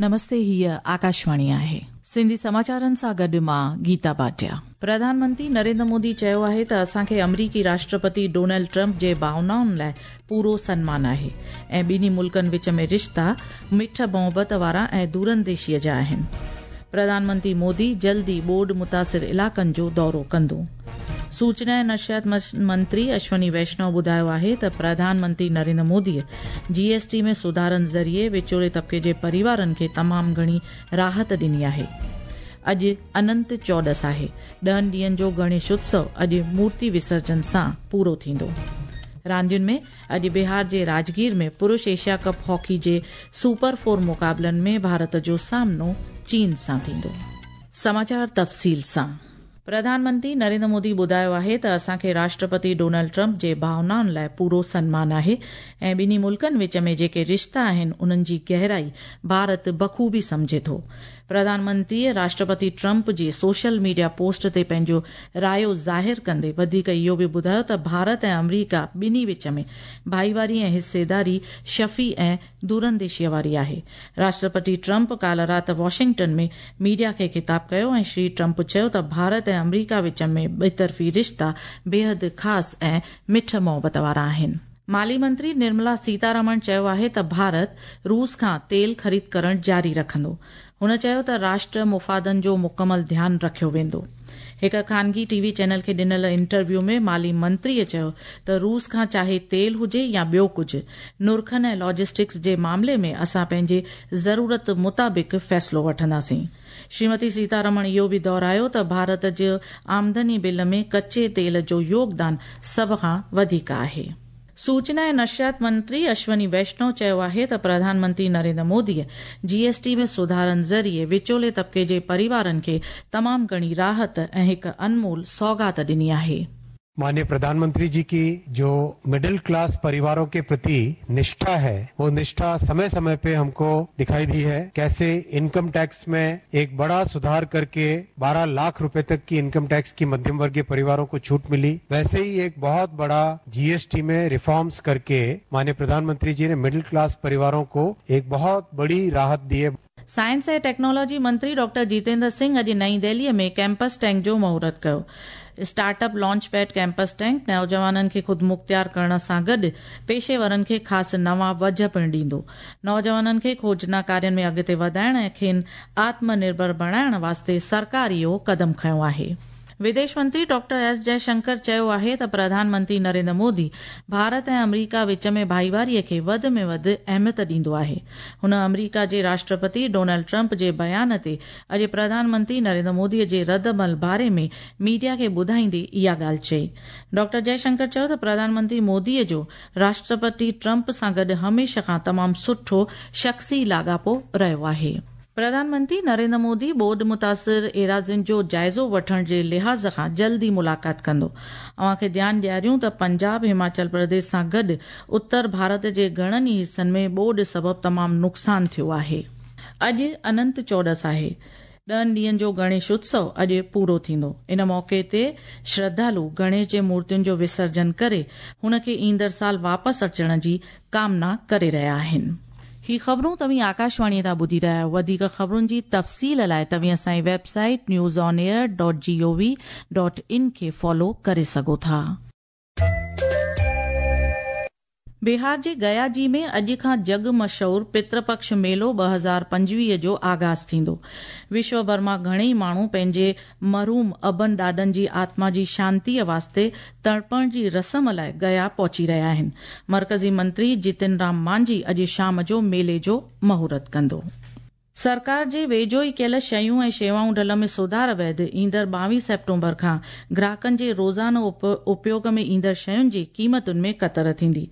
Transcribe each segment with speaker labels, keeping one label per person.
Speaker 1: نمستي هيء آڪاشواڻي آهي. سنڌي سماچارن سان گڏ مان گيتا ڀاٽيا. پرڌان منتري نريندر مودي چيو آهي ته اسان کي آمريڪي راشٽرپتي ڊونلڊ ٽرمپ جي ڀاونائن لاء پورو سنمان آهي ۽ ٻنهي ملڪن وچ ۾ رشتا مٺ محبت وارا ۽ دورانديشيء جا آهن. پرڌان منتري مودي جلد ئي ٻوڏ متاثر علائقن جو دورو ڪندو. سوچنا ۽ نشريات منتري اشوني ويشنو ٻڌايو آهي ته پرڌان منتري نريندر مودي جي ايس ٽي ۾ سڌارن ذريعي وچولي طبقي جي پريوارن کي تمام گهڻي راحت ڏني آهي. اڄ اننت چوڏس آهي. ڏهن ڏينهن جو گڻيش اتسو اڄ مورتي وسرجن سان پورو ٿيندو. راندين ۾ اڄ بهار جي راجگير ۾ پرش ايشيا ڪپ هاڪي جي سپر فور مقابلن ۾ ڀارت جو سامنو چين سان ٿيندو. سماچار تفصيل سان. پرڌان منتري نريندر مودي ٻڌايو آهي ته اسان کي راشٽرپتي ڊونلڊ ٽرمپ جي ڀاونائن لاء پورو سنمان آهي ۽ ٻنهي ملڪن وچ ۾ جيڪي رشتا آهن انهن جي گهرائي ڀارت بخوبي سمجهي ٿو. پرڌان منتريء راشٽرپتي ٽرمپ جي سوشل ميڊيا پوسٽ تي پنهنجو رايو ظاهر ڪندي وڌيڪ اهو به ٻڌايو ته ڀارت ۽ آمريڪا ٻنهي وچ ۾ ڀائيواري ۽ حصيداري شفي ۽ دورانديشيء واري آهي. راشٽرپتي ٽرمپ ڪالهه رات واشنگٽن ۾ ميڊيا کي خطاب ڪيو ۽ شري ٽرمپ چيو ته ڀارت ۽ آمريڪا وچ ۾ ٻطرفي رشتا بيحد خاص ۽ مٺ محبت وارا آهن. مالي منتري نرملا سيتارامڻ چيو آهي ته ڀارت روس کان تيل خريد ڪرڻ جاري رکندو. هن چيو ته راشٽر مفادن جو مڪمل ڌيان رکيو ويندو. هڪ خانگي ٽي وي چينل کي ڏنل انٽرويو ۾ مالي منتريء چيو ته روس کان چاهي تيل هجي يا ٻيو ڪجهه، نرخن ۽ لاجسٽڪس جي معاملي ۾ اسان پنهنجي ضرورت مطابق فيصلو وٺنداسين. شريمتي سيتارمڻ اهو به دهرايو ته ڀارت جي آمدني بل ۾ ڪچي تيل جو يوگدان سڀ کان وڌيڪ آهي. سوچنا ۽ نشريات منتري اشوني ويشنو چيو آهي ته پرڌان منتري نريندر مودي جي ايس ٽي ۾ سڌارن ذريعي وچولي طبقي جي پريوارن کي تمام گهڻي راحت ۽ هڪ انمول سوغات ڏني آهي.
Speaker 2: مانيه پرڌان منتري جي ڪي جو مڊل ڪلاس پريوارون ڪي پرتي نشٺا هي وو نشٺا سمي سمي پي همڪو دکائي the هي ڪيسي انڪم ٽيڪس مين ايڪ بڙا سڌار ڪرڪي 12 لاک روپي تڪ ڪي انڪم ٽيڪس ڪي مڌيم ورگيه پريوارون ڪو ڇوٽ ملي ويسي هي ايڪ بهت بڙا جي ايس ٽي مين ريفارمز ڪرڪي مانيه پرڌان منتري جي ني مڊل ڪلاس پريوارون ڪو ايڪ بهت بڙي راحت the هي.
Speaker 1: سائنس ۽ ٽيڪنالاجي منتري ڊاڪٽر جيتيندر سنگهه اڄ نئين دهليء ۾ ڪيمپس ٽينڪ جو مهورت ڪيو. Start up launch pad campus tank نوجوانن کي خودمختيار ڪرڻ سان گڏ پيشيورن کي خاص نوان وجهه پڻ ڏيندو. نوجوانن کي کوجنا ڪارين ۾ اڳتي وڌائڻ ۽ کين آتم نرڀر بڻائڻ واسطي سرڪار اهو قدم کنيو آهي. وديش منتري ڊاڪٽر ايس جئه شنڪر چيو آهي ته پرڌان منتري نريندر مودي ڀارت ۽ آمريڪا وچ ۾ ڀائيواري کي وڌ ۾ وڌ اهميت ڏيندو آهي. هن آمريڪا جي راشٽرپتي ڊونلڊ ٽرمپ جي بيان تي اڄ پرڌان منتري نريندر مودي جي رد عمل باري ۾ ميڊيا کي ٻڌائيندي اها ڳالهه چئي. ڊاڪٽر جئه شنڪر چيو ته پرڌان منتري مودي جو راشٽرپتي ٽرمپ سان گڏ هميشه کان تمام سٺو شخصي لاڳاپو رهيو آهي. پرڌان منتري نريندر مودي ٻوڏ متاثر ايراضين جو جائزو وٺڻ جي لحاظ کان جلد ئي ملاقات ڪندو. اوهان کي ڌيان ڏياريون ته پنجاب، هماچل پرديش سان گڏ اتر ڀارت جي گهڻن ئي حصن ۾ ٻوڏ سبب تمام نقصان ٿيو آهي. اڄ اننت چوڏس آهي. ڏهن ڏينهن جو گڻيش اتسو اڄ پورو ٿيندو. ان موقعي تي شرڌالو گڻيش جي مورتين جو وسرجن ڪري هن کي ايندڙ سال واپس اچڻ جي ڪامنا ڪري رهيا آهن. هي خبرون توهين آڪاشواڻي تان ٻڌي رهيا آهيو. وڌيڪ خبرن جي تفصيل لاء توهين اسان جي website news on air dot G O V dot in کي فالو ڪري سگهو ٿا. بهار جي گيا جي ۾ اڄ کان جڳ مشهور پترپڪش ميلو 2025 جو آغاز ٿيندو. وشو ڀر مان گهڻيئي ماڻهو پنهنجي مرحوم ابن ڏاڏن جي آتما جي شانتيء واسطي ترپڻ جي رسم لاء گيا پهچي رهيا آهن. مرڪزي منتري جتن رام مانجهي اڄ شام جو ميلي جو مهورت ڪندو. سرڪار جي ويجهو ئي ڪيل شيون ۽ شيوائون ڍل ۾ سڌار بعد ايندڙ 22 سيپٽمبر کان گراهڪن جي روزانو اپيوگ ۾ ايندڙ شين جي قيمتن ۾ ڪتر ٿيندي.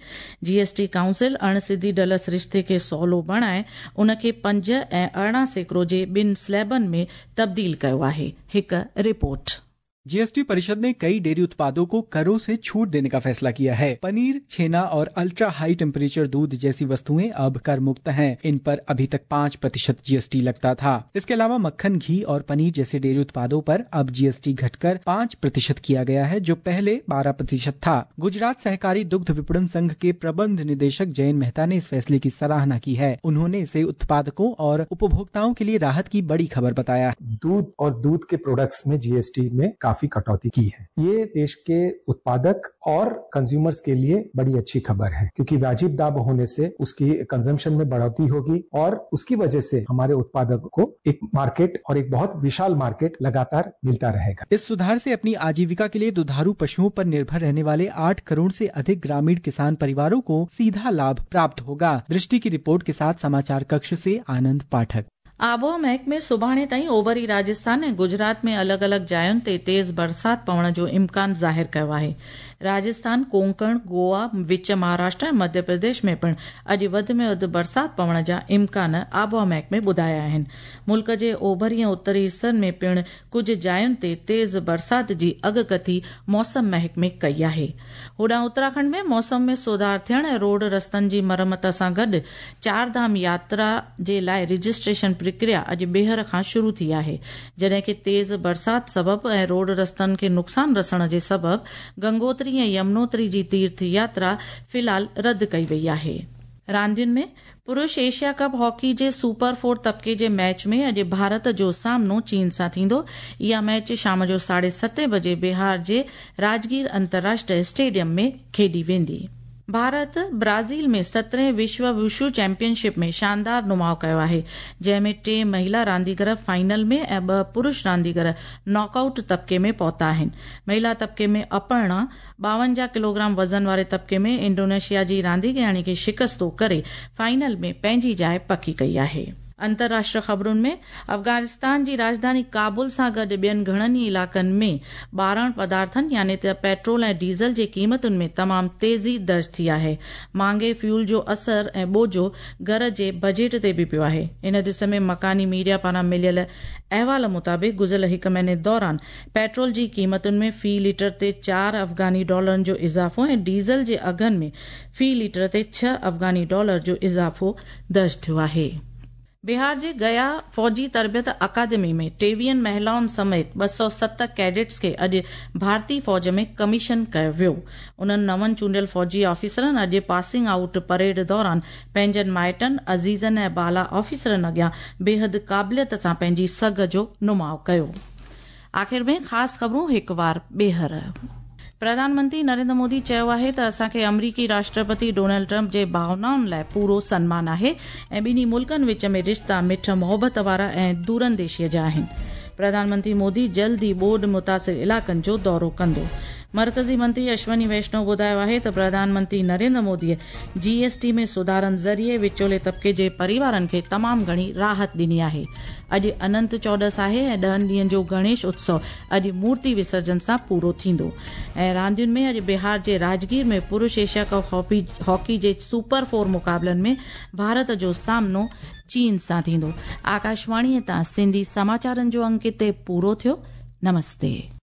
Speaker 1: جي ايس ٽي ڪائونسل اڻ سڌي ڍل سرشتي کي سولو بڻائي ان کي 5 ۽ 18% جي ٻن سليبن ۾ تبديل ڪيو آهي. هڪ رپورٽ.
Speaker 3: जीएसटी परिषद ने कई डेयरी उत्पादों को करों से छूट देने का फैसला किया है। पनीर, छेना और अल्ट्रा हाई टेम्परेचर दूध जैसी वस्तुएं अब कर मुक्त हैं। इन पर अभी तक 5% जीएसटी लगता था। इसके अलावा मक्खन, घी और पनीर जैसे डेयरी उत्पादों पर अब जीएसटी घटकर 5% किया गया है, जो पहले 12% था। गुजरात सहकारी दुग्ध विपणन संघ के प्रबंध निदेशक जयन मेहता ने इस फैसले की सराहना की है। उन्होंने इसे उत्पादकों और उपभोक्ताओं के लिए राहत की बड़ी खबर बताया।
Speaker 4: दूध और दूध के प्रोडक्ट्स में जीएसटी में काफी कटौती की है। ये देश के उत्पादक और कंज्यूमर्स के लिए बड़ी अच्छी खबर है, क्योंकि वाजिब दाम होने से उसकी कंजम्पशन में बढ़ोतरी होगी और उसकी वजह से हमारे उत्पादक को एक मार्केट और एक बहुत विशाल मार्केट लगातार मिलता रहेगा।
Speaker 3: इस सुधार से अपनी आजीविका के लिए दुधारू पशुओं पर निर्भर रहने वाले 8 करोड़ से अधिक ग्रामीण किसान परिवारों को सीधा लाभ प्राप्त होगा। दृष्टि की रिपोर्ट के साथ समाचार कक्ष से आनंद पाठक।
Speaker 1: आबोहवा महकमे सुभाणे ताईं ओभरी राजस्थान ऐं गुजरात में अलॻि अलॻि जायुनि ते तेज़ बरसाति पवण जो इम्कान ज़ाहिर कयो आहे। राजस्थान, कोंकण, गोवा, विच महाराष्ट्र ऐं मध्य प्रदेश में पिणु अॼु वधि में वधि बरसाति पवण जा इम्कान आबोहवा महकमे ॿुधाया आहिनि। मुल्क जे ओभरी ऐं उत्तरी हिसनि में पिणु कुझु जायुनि ते तेज़ बरसाति जी अॻकथी मौसम महकमे कई आहे। होॾां उत्तराखंड में मौसम में सुधार थियण ऐं रोड रस्तनि जी मरमत सां गॾु चार धाम यात्रा जे लाइ रजिस्ट्रेशन प्रक्रिया अॼु ॿीहर खां शुरू थी आहे, जॾहिं की तेज़ बरसाति सबबु ऐं रोड रस्तनि खे नुक़सानु रसण जे सबबु गंगोत्री ऐं यमुनोत्री जी तीर्थ यात्रा फ़िलहाल रद्द कई वई आहे। रांदियुनि में पुरुष एशिया कप हॉकी जे सुपर 4 तबके जे मैच में अॼु भारत जो सामनो चीन सां थींदो। इहा मैच शाम जो 7:30 बजे बिहार जे राजगीर अंतर्राष्ट्रीय स्टेडियम में खेॾी वेंदी। भारत ब्राज़ील में 17वें विश्व वुशु चैंपियनशिप में शानदार नुमाउ कयो आहे, जंहिं में 3 महिला रांदीगर फाइनल में ऐं 2 पुरुष रांदीगर नॉकआउट तबके में पहुता आहिनि। महिला तबके में अपर्णा 52 किलोग्राम वज़न वारे तबके में इंडोनेशिया जी रांदीगराणी खे शिकस्तो करे फाइनल में पंहिंजी जाइ पकी कई आहे। अंतर्राष्ट्रीय ख़बरुनि में अफ़गानिस्तान जी राजधानी काबुल सां गॾु ॿियनि घणनि ई इलाइक़नि में ॿारण पदार्थनि यानी त पेट्रोल ऐं डीज़ल जे क़ीमतुनि में तमामु तेज़ी दर्ज थी आहे। महांगे फ्यूल जो असर ऐं बोझो घर जे बजट ते बि पियो आहे। इन ॾिस में मकानी मीडिया पारां मिलियल अहवाल मुताबिक़ गुज़िरियल हिकु महीने दौरान पेट्रोल जी क़ीमतुनि में फ़ी लीटर ते 4 अफ़गानी डॉलरनि जो इज़ाफ़ो ऐं डीज़ल जे अघनि में फ़ी लीटर ते 6 अफ़गानी डॉलर जो इज़ाफ़ो दर्ज थियो आहे। बिहार जे गया फौजी तरबियत अकादमी में 23 महिलाउनि समेत 207 कैडेट्स खे अॼु भारतीय फौज में कमीशन कयो वियो। उन्हनि नवनि चूंडियल फौजी ऑफिसरनि अॼु पासिंग आउट परेड दौरान पंहिंजनि माइटनि, अज़ीज़नि ऐं बाला ऑफिसरनि अॻियां बेहद क़ाबिलियत सां पंहिंजी सघ जो नुमाउ कयो। आख़िर में ख़ासि ख़बरूं हिकु वार ॿीहर। प्रधानमंत्री नरेंद्र मोदी चयो आहे त असांखे अमरीकी राष्ट्रपति डोनाल्ड ट्रंप जे भावनाउनि लाइ पूरो सन्मान आहे ऐं ॿिन्ही मुल्कनि विच में रिश्ता मिठ मोहबत वारा ऐं दूरंदेशीअ जा आहिनि। प्रधानमंत्री मोदी जल्द ई ॿोॾ मुतासिर इलाइक़नि जो दौरो कंदो। मर्कज़ी मंत्री अश्वनी वैष्णव ॿुधायो आहे त प्रधानमंत्री नरेंद्र मोदीअ जीएसटी में सुधारनि ज़रिए विचोले तबके जे परिवारनि खे तमामु घणी राहत ॾिनी आहे। अॼु अनंत चौॾस आहे ऐं 10 ॾींहनि जो गणेश उत्सव अॼु मूर्ति विसर्जन सां पूरो थींदो। ऐं रांदियुनि में अॼु बिहार जे राजगीर में पुरुष एशिया कप हॉकी जे सुपर 4 मुक़ाबलनि में भारत जो सामनो चीन सां थींदो। आकाशवाणीअ तां सिंधी समाचारनि जो अंक हिते पूरो थियो। नमस्ते।